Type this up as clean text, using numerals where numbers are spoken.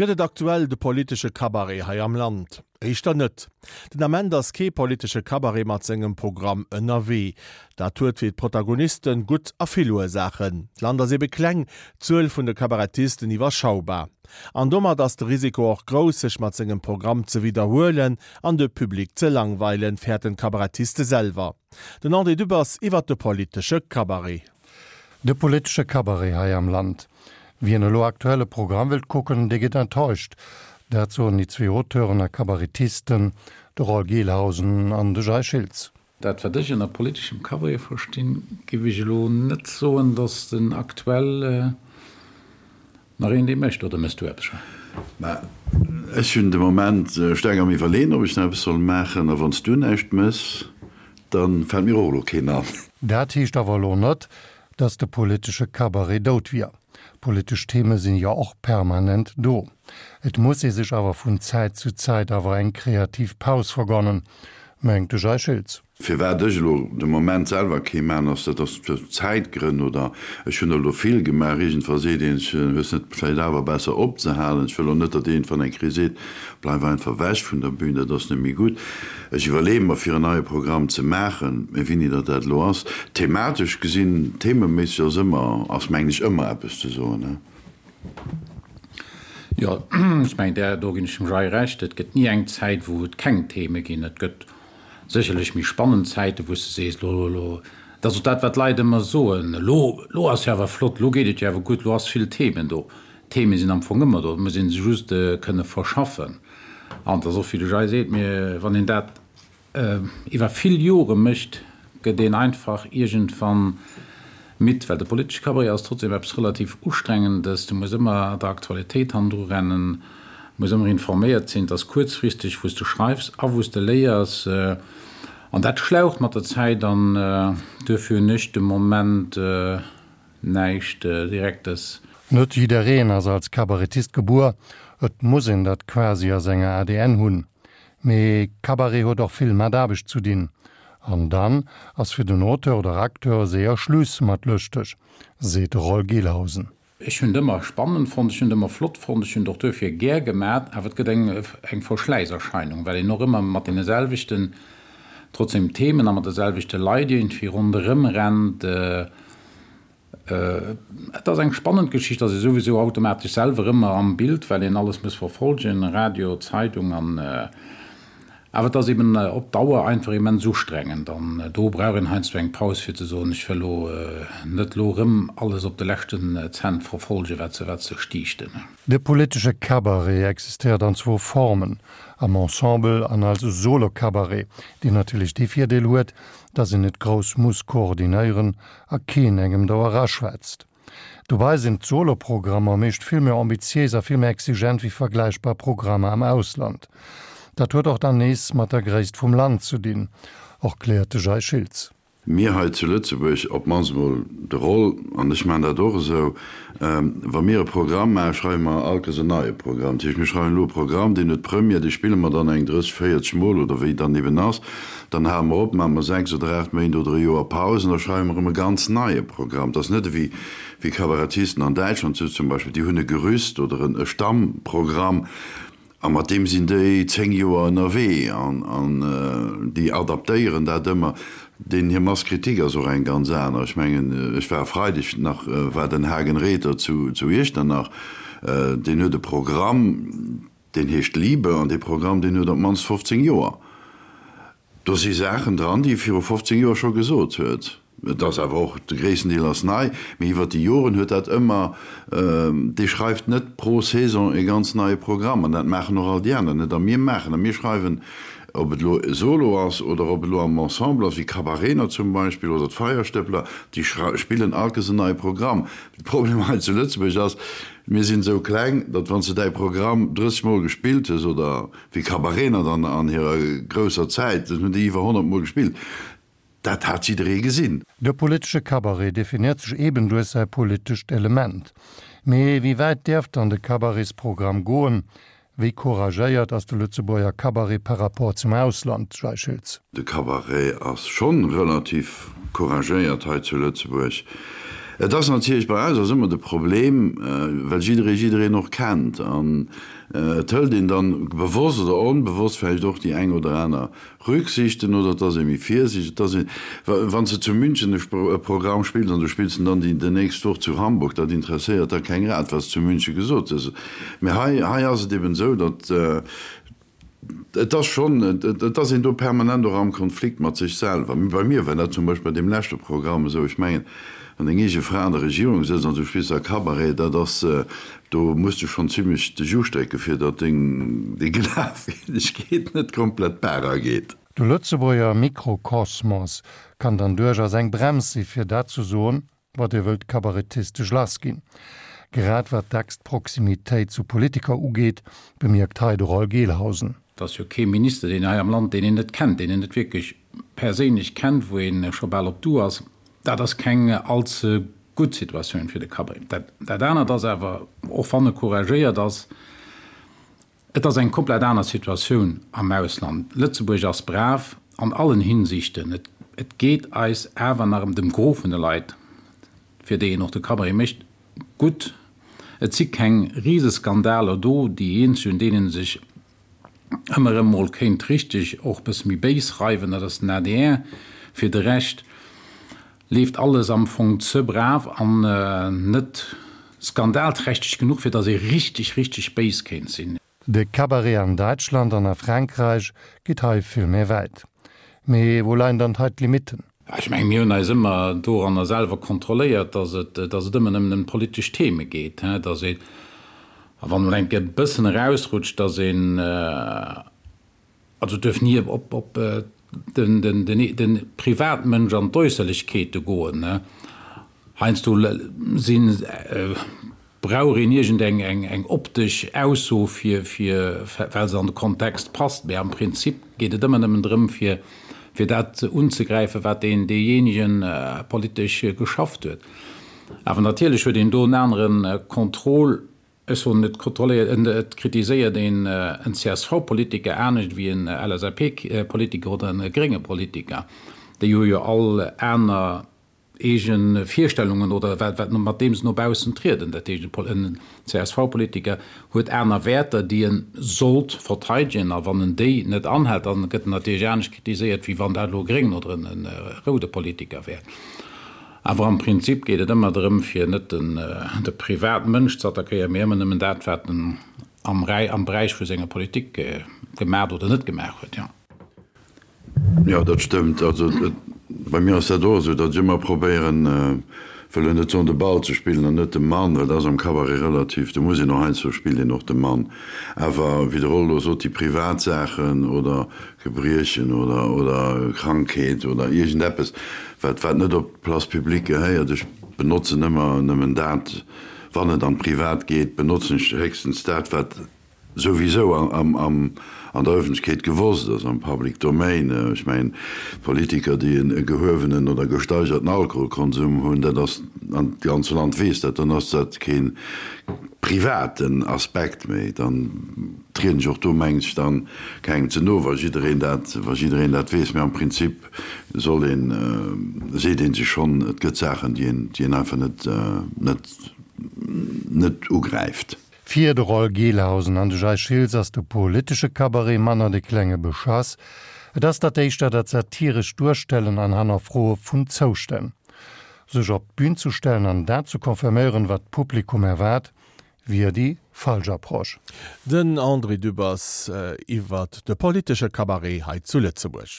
Gëtt et aktuell de politesche Cabaret hei am Land? Éischter net. Den Ament ass kee politesche Cabaret mat sengem Programm ënnerwee. Dat huet fir d'Protagonisten gutt a vill Ursaachen. D'Land ass ebe kleng, d'Zuel vun de Cabaretisten iwwerschaubar. An domat ass de Risiko och grouss, sech mat sengem Programm ze widderhuelen an de Public ze langweilen, fäerten d'Cabaretiste selwer. Den André Dübbers iwwert de politesche Cabaret. De politesche Cabaret hei am Land. Wien elo aktuell e Programm wëllt kucken, dee gëtt enttäuscht. Dat soen déi zwee Auteuren a Cabaretisten, de Roll Gelhausen an de Jay Schiltz. Dat wat ech ënner politeschem Cabaret verstinn, giff ech elo net soen, datt den aktuell nach een dee mécht. Oder méchs du eppes, Jay? Mä ech hunn de Moment staark am Iwwerleeën, ob ech nach eppes soll maachen. A wann s du näischt méchs, da fält mir och elo keen an. Dat heescht awer elo net, dass de politesche Cabaret dout wier. Politesch Theme sinn jo och permanent do. Et muss ee sech awer vun Zäit zu Zäit awer eng kreativ Paus vergonnen, mengt de Jay Schiltz. Firwat ech elo de Moment selwer kee maan, ass dat ass aus Zäitgrënn oder ech hunn der elo vill gemaach. Iergendwa seet een sech, hues net vläicht awer besser opzehalen. Ech wëll och net, datt iergendwann eng Kéier seet, bleif einfach ewech vun der Bühn, dat ass net méi gutt. Ech iwwerleeë mer fir en neie Programm ze maachen, mä wéini datt dat elo ass, thematesch gesinn, thememéisseg ass ëmmer, ass mengen ech ëmmer eppes ze soen, he? Jo, ech mengen där do ginn ech dem Jay Recht, et gëtt ni eng Zäit wou et keng Theme ginn. Et gëtt sécherlech méi spannend Zäiten, wou s de sees, elo, elo, dat ass och dat wat d'Leit ëmmer soen, elo, elo ass jo awer flott, elo geet et jo awer gutt, elo ass vill Themen do. D'Theme sinn am Fong ëmmer do, et muss ee se just kënne verschaffen. An et ass och, wéi de Jay seet, mir, wann een dat iwwer vill Jore mécht, gëtt een einfach iergendwann midd, well de politesche Cabaret ass trotzdem eppes relativ Ustrengendes. Du muss ëmmer der Aktualitéit hannendru rennen, muss ëmmer informéiert sinn. Et ass kuerzfristeg, wou s de schreifs a wou s de léiers. An dat schlaucht mat der Zäit an duerfir hunn ech de Moment Näischt Direktes. Net jiddereen ass als Kabarettist gebuer, et muss een dat quasi a senger ADN hunn. Mee Cabaret huet och vill mat Aarbecht zu dinn. An dann ass fir den Auteur oder Acteur séier Schluss mat lëschteg, seet de Roll Gelhausen. Ech hunn et ëmmer spannend fonnt, ech hunn et ëmmer flott fonnt, ech hunn et och duerfir gär gemat, awer et gëtt eng eng Verschläisserscheinung, well een och ëmmer mat deene selwechten trotzdem Themen a mat de selwechte Leit iergendwéi ronderëm rennt. Et ass eng spannend Geschicht, ass ee souwisou automatesch selwer ëmmer am Bild, well een alles muss verfolgen, Radio, Zeidung an. Awer et ass eben op Dauer einfach immens ustrengend an do brauch een heiansdo eng Paus fir ze soen, ech wëll lo net lo rëm alles op de leschten Cent verfolgen, wat se wat se stiichten. De politesche Cabaret existéiert an zwou Formen, am Ensemble an als Solo-Cabaret, deen natierlech dee Virdeel huet, dass een net grouss muss koordinéieren a keen engem do eraschwätzt. Dobei sinn d'Solo-Programmer meescht vill méi ambitiéis a vill méi exigent wéi vergläichbar Programmer am Ausland. Dat huet och dann nees mat der Gréisst vum Land ze dinn, erkläert de Jay Schiltz. Mir hei zu Lëtzebuerg, op d'mannst emol de Roll, an ech maachen dat och esou, wa mir e Programm maachen, schreiwe mer allkes en neie Programm. Dat heescht, mir schreiwen elo e Programm, deen huet Première, dee spille mer dann eng 30, 40 Mol oder wéi dann eben ass. Dann hale mer op, maache mer 6 oder 8 Méint oder e Joer Paus an da schreiwe mer erëm e ganz neie Programm. Et ass net ewéi wéi Kabarettisten an Däitschland sou zum Beispill, déi hunn e Gerüst oder e Stammprogramm a mat deem sinn déi 10 Joer ënnerwee an an déi adaptéieren dat ëmmer. Deenen hir Masse critique ass och eng ganz aner. Ech mengen, ech war e Freideg nach, war den Hagen Rether zu zu Iechternach, deen huet e Programm, Deen heescht Liebe an dee Programm, deen huet op d'mannst 15 Joer. Do si Saachen dran, déi e viru 15 Joer scho gesot huet. Et ass awer och, de gréissten Deel ass nei, mee iwwer déi Joren huet dat ëmmer, dee schreift net pro Saison e ganz neie Programm an dat maachen och all déi aner net a mir maachen a mir schreiwen, ob et elo solo ass oder ob et elo am Ensemble ass, wéi Cabaretner zum Beispill oder d'Feierstëppler, déi spillen allkes en neie Programm. De Problem hei zu Lëtzebuerg ass, Mir sinn esou kleng, datt wann s de däi Programm 30 Mol gespillt hues, oder wéi Cabaretner dann an hirer grousser Zäit, dat hunn déi iwwer 100 Mol gespillt, dat hat jidderee gesinn. De politesche Cabaret definiert sech eben duerch säi politescht Element. Mee wéi wäit däerf dann de Cabaretsprogramm goen? Wéi couragéiert ass de Lëtzebuerger Cabaret par rapport zum Ausland, Jay Schiltz? De Cabaret ass schonn relativ couragéiert hei zu Lëtzebuerg. Et ass natierlech, bei eis ass ëmmer de Problem, well jidderee jiddereen och kennt an et hëlt een dann bewosst oder onbewosst vläicht och déi eng oder aner Rücksichten oder et ass ee méi virsiichteg. Et ass een, wann s de zu München e Programm spills an du spills en dann déi nächst Woch zu Hamburg, dat interesséiert da keng Rad, wat s de zu München gesot hues. Mee hei, hei ass et eben esou, datt Et ass schonn, et ass een do permanent och am Konflikt mat sech selwer. Bei mir war dat zum Beispill bei deem leschte Programm esou, ech mengen, wann deng eege Fra an der Regierung sëtzt an du spills da Cabaret, dat ass, do muss de schonn zimlech de Jus drécke fir datt deng Glafwierdegkeet net komplett d'Baach ageet. De Lëtzebuerger Mikrokosmos kann dann duerchaus eng Brems si fir dat ze soen, wat Dir wëllt kabarettistesch lassginn. Grad wat dacks d'Proximitéit zu Politiker ugeet, bemierkt hei de Roll Gelhausen. Et ass jo kee Minister, deen hei am Land, deen een net kennt, deen een net wierklech perséinlech kennt, wou ee scho bal op du ass. Dat ass keng allze gutt Situatioun fir de Cabaret. Dat anert ass awer, och wann e couragéiert ass, Et ass eng komplett aner Situatioun am Ausland. Lëtzebuerg ass brav an allen Hinsichten. Et geet eis awer nach ëm dem Gros vun de Leit, fir déi een och de Cabaret mécht, gutt. Et si keng Riseskandaler do. Déi eenzeg, un deenen ee sech ëmmer erëm mol kéint richteg och e bësse méi béis reiwen, dat ass den adr. Fir de Rescht leeft alles am Fong ze brav an net skandalträchteg genuch, fir dass ee richteg, richteg béis kéint sinn. De Cabaret an Däitschland an a Frankräich geet hei vill méi wäit. Mee wou leien dann hei d'Limitten? Ech mengen, mir hunn eis ëmmer doranner selwer kontrolléiert, dass et, dass et ëmmer nëmmen ëm politesch Theme geet, dass een, a wann emol eng Kéier e bëssen erausrutscht, dass een, Also et duerf ni op de Privatmënsch an d'Äusserlechkeete goen. Heiansdo brauch een iergend eng optesch Ausso fir well se an de Kontext passt, mee am Prinzip geet et ëmmer nëmmen drëm fir dat unzegräifen, wat deen deejéinegen politesch geschafft huet. Awer natierlech huet een do en anere Contrôle. Ech soen, et kontrolléiert, et kritiséiert een en CSV-Politiker anescht wéi en LSAP-Politiker oder en grénge Politiker. Déi hu jo all aner eege Virstellungen oder wat, wat, mat deem se no baussen trieden. Dat heescht, en CSV-Politiker huet aner Wäerter, déi e sollt verteidegen, a wann en déi net anhält, dann gëtt en natierlech anescht kritiséiert, wéi wann dat elo e gréngen oder en roude Politiker wär. Awer am Prinzip geet et ëmmer drëm, fir net de Privatmënsch ze attackéieren, mee ëmmer nëmmen dat, wat en am Beräich vu senger Politik gemaach oder net gemaach huet. Jo. Jo, dat stëmmt. Also bei mir ass dat och esou, datt ech ëmmer probéieren, wëll elo net soen, de Ball ze spillen an net de Mann, well dat ass am Cabaret relativ, do muss een och heiansdo spillt een och de Mann. Awer wéi de Rollo sot, déi privat Saachen oder Gebriechen oder oder Krankheet oder iergendeppes, wat wat net op d'Place publique gehéiert. Ech benotzen ëmmer nëmmen dat, wann et an d'Privat geet, benotzen ech héchstens dat, wat souwisou am am an der Ëffentlechkeet gewosst ass, am Public Domain. Ech mengen, Politiker, déi en e gehuewenen oder gesteigerten Alkoholkonsum hunn, dat ass, an d'ganze Land weess dat, dann ass dat kee privaten Aspekt méi. Dann trieden ech och do, mengen ech, dann kengem ze no, wa jiddereen dat, wa jiddereen dat weess. Mä am Prinzip soll een, seet ee sech schonn, et gëtt Saachen, déi een, déi een einfach net, net, net ugräift. Fir de Roll Gelhausen an de Jay Schiltz ass de politesche Cabaret manner de klenge Beschass, et ass dat éischter dat satirescht Duerstellen an Hannerfroe vun Zoustänn. Sech op d'Bün ze stellen an dat ze confirméieren, wat d'Publikum erwaart, wier déi falsch Approche. Den André Dübbers iwwert de politesche Cabaret hei zu Lëtzebuerg.